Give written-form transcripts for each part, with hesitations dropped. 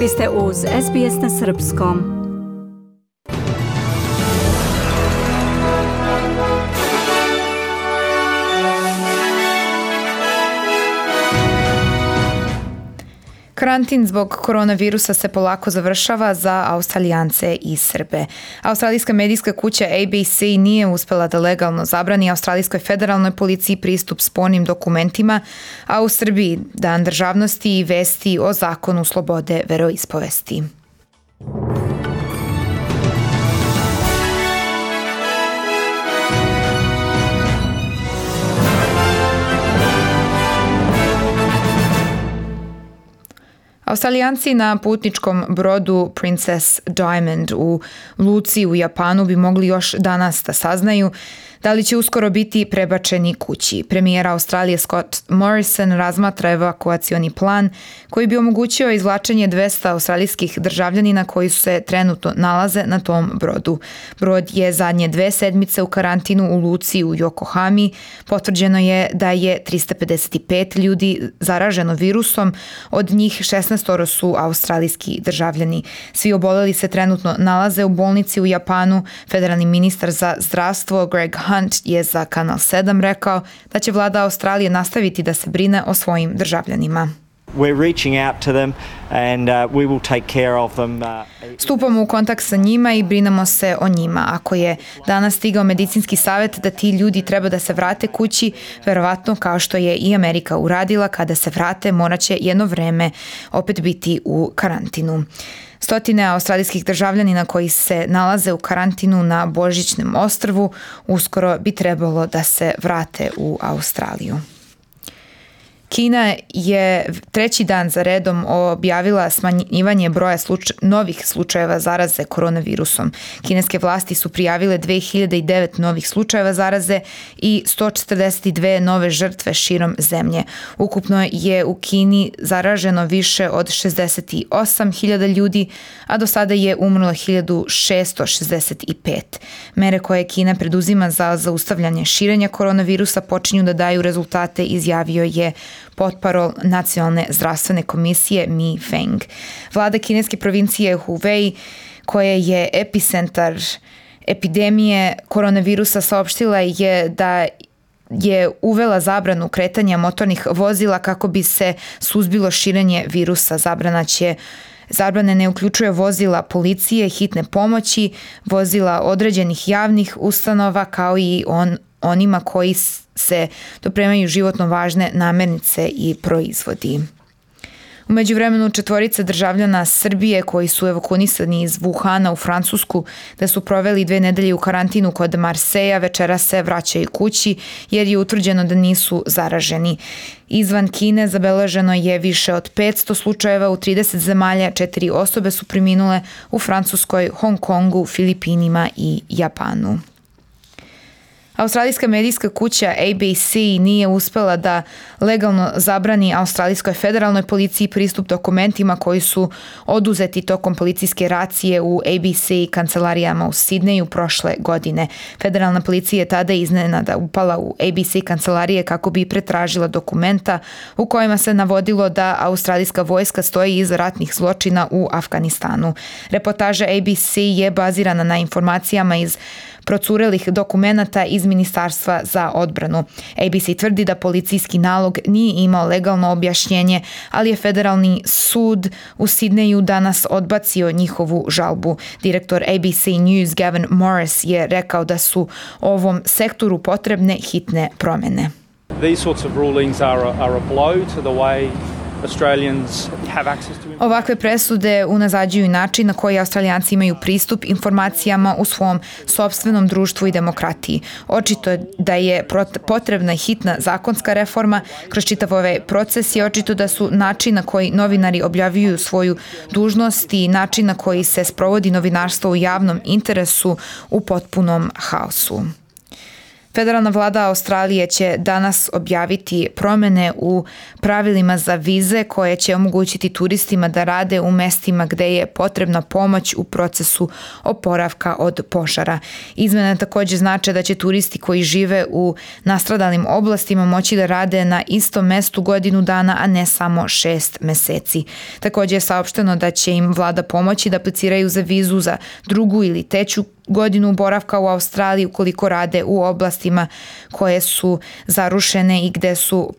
Vi ste uz SBS na Srpskom. Karantin zbog koronavirusa se polako završava za Australijance i Srbe. Australijska medijska kuća ABC nije uspela da legalno zabrani australijskoj federalnoj policiji pristup spornim dokumentima, a u Srbiji Dan državnosti i vesti o zakonu slobode veroispovesti. Australijanci na putničkom brodu Princess Diamond u luci u Japanu bi mogli još danas da saznaju da li će uskoro biti prebačeni kući. Premijer Australije Scott Morrison razmatra evakuacioni plan koji bi omogućio izvlačenje 200 australijskih državljanina koji se trenutno nalaze na tom brodu. Brod je zadnje 2 sedmice u karantinu u luci u Yokohami. Potvrđeno je da je 355 ljudi zaraženo virusom, od njih 16 su australijski državljani. Svi oboleli se trenutno nalaze u bolnici u Japanu. Federalni ministar za zdravstvo Greg Hunt je za Kanal 7 rekao da će vlada Australije nastaviti da se brine o svojim državljanima. Stupamo u kontakt sa njima i brinemo se o njima. Ako je danas stigao medicinski savjet da ti ljudi treba da se vrate kući, verovatno kao što je i Amerika uradila, kada se vrate morat će jedno vreme opet biti u karantinu. Stotine australijskih državljanina koji se nalaze u karantinu na Božićnom ostrvu uskoro bi trebalo da se vrate u Australiju. Kina je 3. dan za redom objavila smanjivanje broja novih slučajeva zaraze koronavirusom. Kineske vlasti su prijavile 2009 novih slučajeva zaraze i 142 nove žrtve širom zemlje. Ukupno je u Kini zaraženo više od 68.000 ljudi, a do sada je umrlo 1.665. Mere koje Kina preduzima za zaustavljanje širenja koronavirusa počinju da daju rezultate, izjavio je potparol Nacionalne zdravstvene komisije Mi Feng. Vlada kineske provincije Hubei, koja je epicentar epidemije koronavirusa, saopštila je da je uvela zabranu kretanja motornih vozila kako bi se suzbilo širenje virusa. Zabrane ne uključuje vozila policije, hitne pomoći, vozila određenih javnih ustanova, kao i onima koji se dopremaju životno važne namirnice i proizvodi. U međuvremenu 4 državljana Srbije koji su evakuisani iz Wuhana u Francusku, da su proveli 2 nedelje u karantinu kod Marseja, večeras se vraćaju kući jer je utvrđeno da nisu zaraženi. Izvan Kine zabeleženo je više od 500 slučajeva u 30 zemalja, 4 osobe su preminule u Francuskoj, Hong Kongu, Filipinima i Japanu. Australijska medijska kuća ABC nije uspela da legalno zabrani australijskoj federalnoj policiji pristup dokumentima koji su oduzeti tokom policijske racije u ABC kancelarijama u Sidneju prošle godine. Federalna policija je tada iznenada upala u ABC kancelarije kako bi pretražila dokumenta u kojima se navodilo da australijska vojska stoji iza ratnih zločina u Afganistanu. Reportaža ABC je bazirana na informacijama iz procurelih dokumenata iz Ministarstva za odbranu. ABC tvrdi da policijski nalog nije imao legalno objašnjenje, ali je federalni sud u Sidneju danas odbacio njihovu žalbu. Direktor ABC News Gavin Morris je rekao da su ovom sektoru potrebne hitne promjene. These sorts of rulings are a blow to the way Ovakve presude unazađuju način na koji Australijanci imaju pristup informacijama u svom sopstvenom društvu i demokratiji. Očito je da je potrebna hitna zakonska reforma. Kroz čitav ovaj proces je očito da su način na koji novinari objavljuju svoju dužnost i način na koji se sprovodi novinarstvo u javnom interesu u potpunom haosu. Federalna vlada Australije će danas objaviti promene u pravilima za vize koje će omogućiti turistima da rade u mestima gde je potrebna pomoć u procesu oporavka od požara. Izmene takođe znače da će turisti koji žive u nastradalim oblastima moći da rade na istom mestu godinu dana, a ne samo 6 meseci. Takođe je saopšteno da će im vlada pomoći da apliciraju za vizu za drugu ili treću godinu boravka u Australiji ukoliko rade u oblastima koje su zarušene i gde su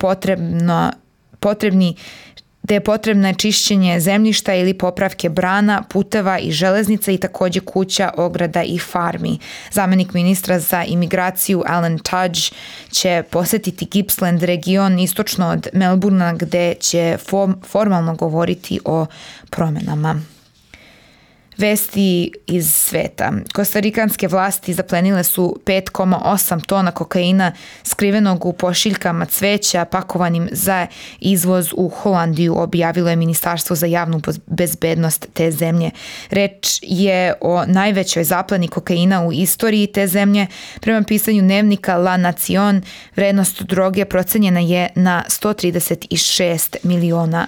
gde je potrebno čišćenje zemljišta ili popravke brana, puteva i železnica i takođe kuća, ograda i farmi. Zamenik ministra za imigraciju Alan Tudge će posetiti Gippsland region istočno od Melbourna gde će formalno govoriti o promenama. Vesti iz sveta. Kostarikanske vlasti zaplenile su 5,8 tona kokaina skrivenog u pošiljkama cveća pakovanim za izvoz u Holandiju, objavilo je Ministarstvo za javnu bezbednost te zemlje. Reč je o najvećoj zapleni kokaina u istoriji te zemlje. Prema pisanju dnevnika La Nacion, vrednost droge procenjena je na $136 miliona.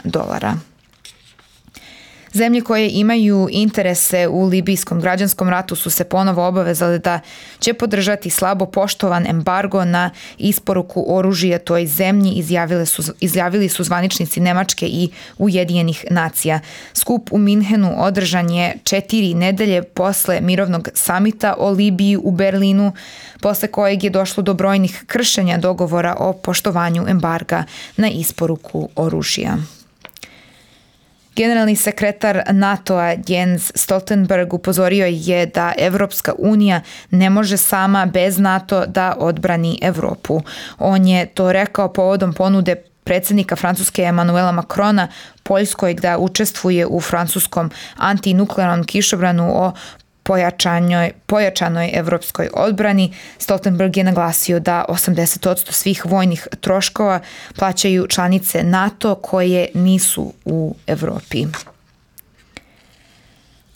Zemlje koje imaju interese u libijskom građanskom ratu su se ponovo obavezale da će podržati slabo poštovan embargo na isporuku oružja toj zemlji, izjavili su zvaničnici Nemačke i Ujedinjenih nacija. Skup u Minhenu održan je 4 nedelje posle mirovnog samita o Libiji u Berlinu, posle kojeg je došlo do brojnih kršenja dogovora o poštovanju embarga na isporuku oružja. Generalni sekretar NATO-a Jens Stoltenberg upozorio je da Evropska unija ne može sama bez NATO da odbrani Evropu. On je to rekao povodom ponude predsjednika Francuske Emmanuela Macrona Poljskoj da učestvuje u francuskom antinuklearnom kišobranu o pojačanoj evropskoj odbrani. Stoltenberg je naglasio da 80% svih vojnih troškova plaćaju članice NATO koje nisu u Evropi.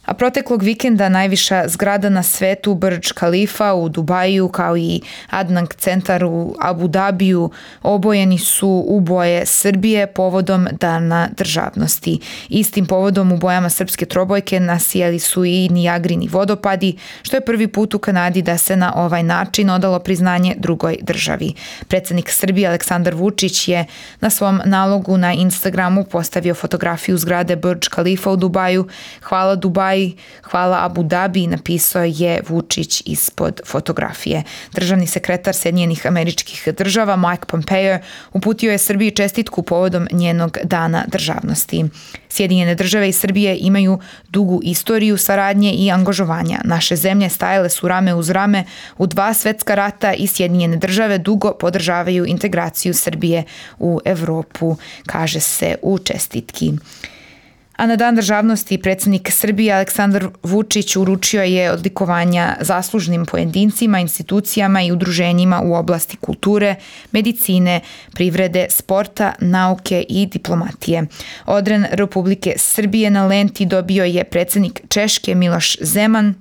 A proteklog vikenda najviša zgrada na svetu, Burj Khalifa u Dubaju, kao i Adnan centar u Abu Dabiju, obojeni su u boje Srbije povodom Dana državnosti. Istim povodom u bojama srpske trobojke nasijali su i Nijagrini vodopadi, što je prvi put u Kanadi da se na ovaj način odalo priznanje drugoj državi. Predsjednik Srbije Aleksandar Vučić je na svom nalogu na Instagramu postavio fotografiju zgrade Burj Khalifa u Dubaju. Hvala Dubaj, hvala Abu Dhabi, napisao je Vučić ispod fotografije. Državni sekretar Sjedinjenih Američkih Država Mike Pompeo uputio je Srbiji čestitku povodom njenog dana državnosti. Sjedinjene Države i Srbije imaju dugu istoriju saradnje i angažovanja. Naše zemlje stajale su rame uz rame u 2 svetska rata i Sjedinjene Države dugo podržavaju integraciju Srbije u Evropu, kaže se u čestitki. A na Dan državnosti predsjednik Srbije Aleksandar Vučić uručio je odlikovanja zaslužnim pojedincima, institucijama i udruženjima u oblasti kulture, medicine, privrede, sporta, nauke i diplomatije. Odren Republike Srbije na lenti dobio je predsjednik Češke Miloš Zeman.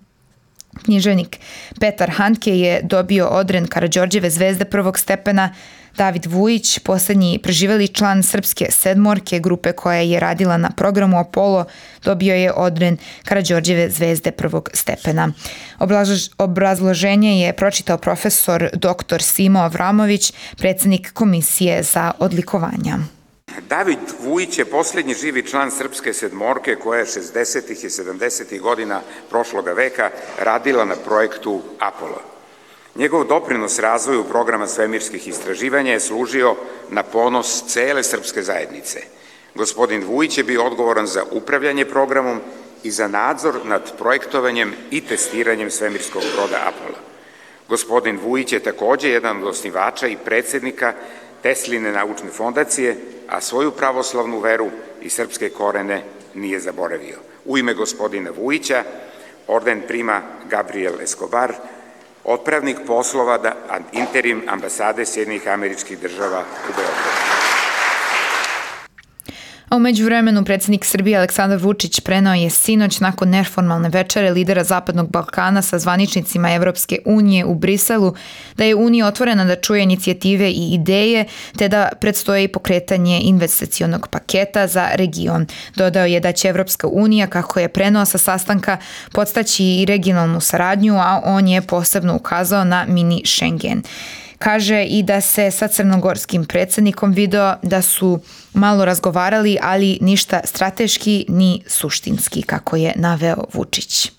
Književnik Petar Handke je dobio odren Karađorđeve zvezde prvog stepena. David Vujić, poslednji preživeli član srpske sedmorke, grupe koja je radila na programu Apollo, dobio je odren Karađorđeve zvezde prvog stepena. Obrazloženje je pročitao profesor dr. Simo Avramović, predsjednik Komisije za odlikovanja. David Vujić je posljednji živi član srpske sedmorke koja je 60. i 70. godina prošloga veka radila na projektu Apollo. Njegov doprinos razvoju programa svemirskih istraživanja je služio na ponos cele srpske zajednice. Gospodin Vujić je bio odgovoran za upravljanje programom i za nadzor nad projektovanjem i testiranjem svemirskog broda Apollo. Gospodin Vujić je takođe jedan od osnivača i predsjednika Tesline naučne fondacije, a svoju pravoslavnu veru i srpske korene nije zaboravio. U ime gospodina Vujića orden prima Gabriel Escobar, otpravnik poslova interim ambasade Sjedinjenih Američkih Država u Beogradu. A u međuvremenu predsjednik Srbije Aleksandar Vučić preneo je sinoć nakon neformalne večere lidera Zapadnog Balkana sa zvaničnicima Evropske unije u Briselu da je Unija otvorena da čuje inicijative i ideje te da predstoji pokretanje investicionog paketa za region. Dodao je da će Evropska unija, kako je preneo sa sastanka, podstaći i regionalnu saradnju, a on je posebno ukazao na mini Schengen. Kaže i da se sa crnogorskim predsjednikom video da su malo razgovarali, ali ništa strateški ni suštinski, kako je naveo Vučić.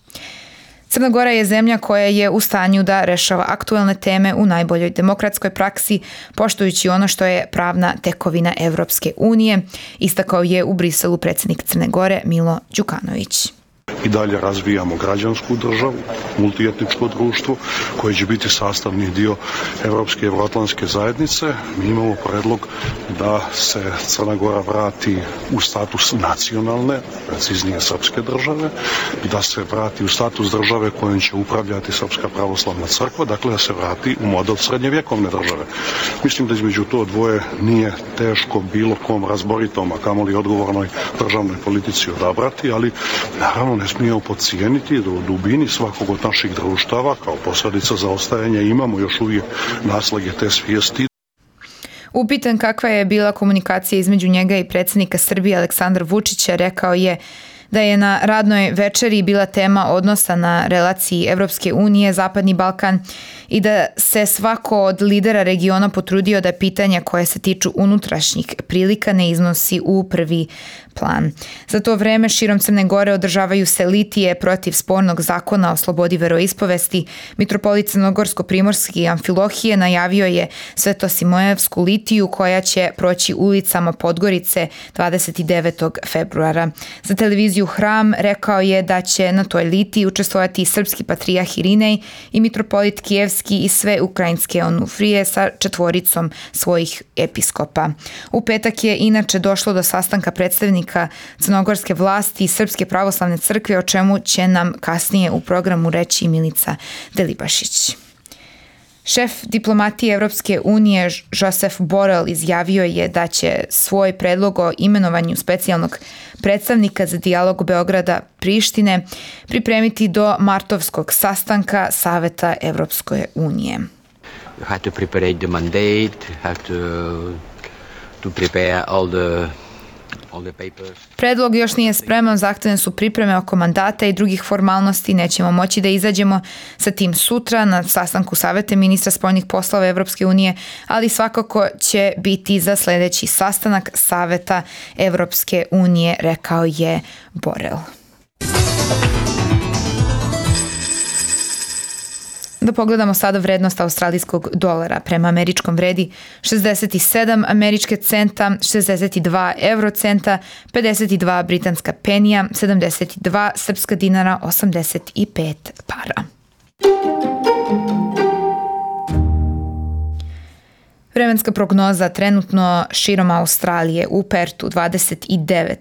Crna Gora je zemlja koja je u stanju da rešava aktuelne teme u najboljoj demokratskoj praksi, poštujući ono što je pravna tekovina Evropske unije, istakao je u Briselu predsjednik Crne Gore Milo Đukanović. I dalje razvijamo građansku državu, multietničko društvo koje će biti sastavni dio Evropske i Evroatlantske zajednice. Mi imamo predlog da se Crna Gora vrati u status nacionalne, preciznije srpske države, da se vrati u status države kojom će upravljati Srpska pravoslavna crkva, dakle da se vrati u model srednjevjekovne države. Mislim da između to dvoje nije teško bilo kom razboritom, a kamoli odgovornoj državnoj politici odabrati, ali naravno ne smijemo podcijeniti da u dubini svakog od naših društava kao posljedica zaostajanja imamo još uvijek naslage te svijesti. Upitan kakva je bila komunikacija između njega i predsjednika Srbije Aleksandra Vučića, rekao je da je na radnoj večeri bila tema odnosa na relaciji Evropske unije, Zapadni Balkan i da se svako od lidera regiona potrudio da pitanja koje se tiču unutrašnjih prilika ne iznosi u prvi plan. Za to vreme širom Crne Gore održavaju se litije protiv spornog zakona o slobodi veroispovesti. Mitropolit Crnogorsko-primorski Amfilohije najavio je Svetosimoevsku litiju koja će proći ulicama Podgorice 29. februara. Za televiziju Hram rekao je da će na toj litiji učestvovati srpski patrijah Irinej i mitropolit Kijevski i sve ukrajinske onufrije sa 4 svojih episkopa. U petak je inače došlo do sastanka predstavnika crnogorske vlasti i Srpske pravoslavne crkve, o čemu će nam kasnije u programu reći Milica Delibašić. Šef diplomatije Evropske unije Josef Borrell izjavio je da će svoj predlog o imenovanju specijalnog predstavnika za dijalog Beograda Prištine pripremiti do martovskog sastanka Saveta Evropske unije. You have to prepare the mandate, you have to prepare all the papers. Predlog još nije spreman, zahtevne su pripreme oko mandata i drugih formalnosti. Nećemo moći da izađemo sa tim sutra na sastanku Saveta ministra spoljnih poslova Evropske unije, ali svakako će biti za sljedeći sastanak Saveta Evropske unije, rekao je Borrell. Da pogledamo sada vrednost australijskog dolara. Prema američkom vredi 67 američke centa, 62 eurocenta, 52 britanska penija, 72 srpska dinara, 85 para. Vremenska prognoza trenutno širom Australije: u Pertu 29,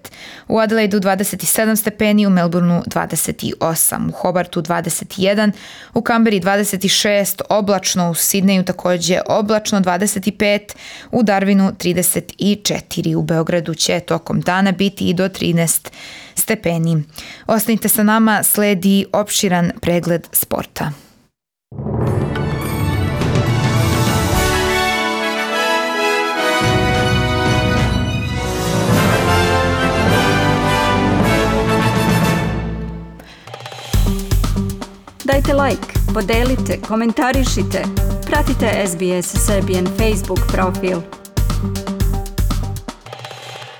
u Adelaidu 27 stepeni, u Melbourneu 28, u Hobartu 21, u Kamberi 26, oblačno, u Sidneju također oblačno 25, u Darwinu 34, u Beogradu će tokom dana biti i do 13 stepeni. Ostanite sa nama, sledi opširan pregled sporta. Dajte like, podelite, komentarišite. Pratite SBS Serbian Facebook profil.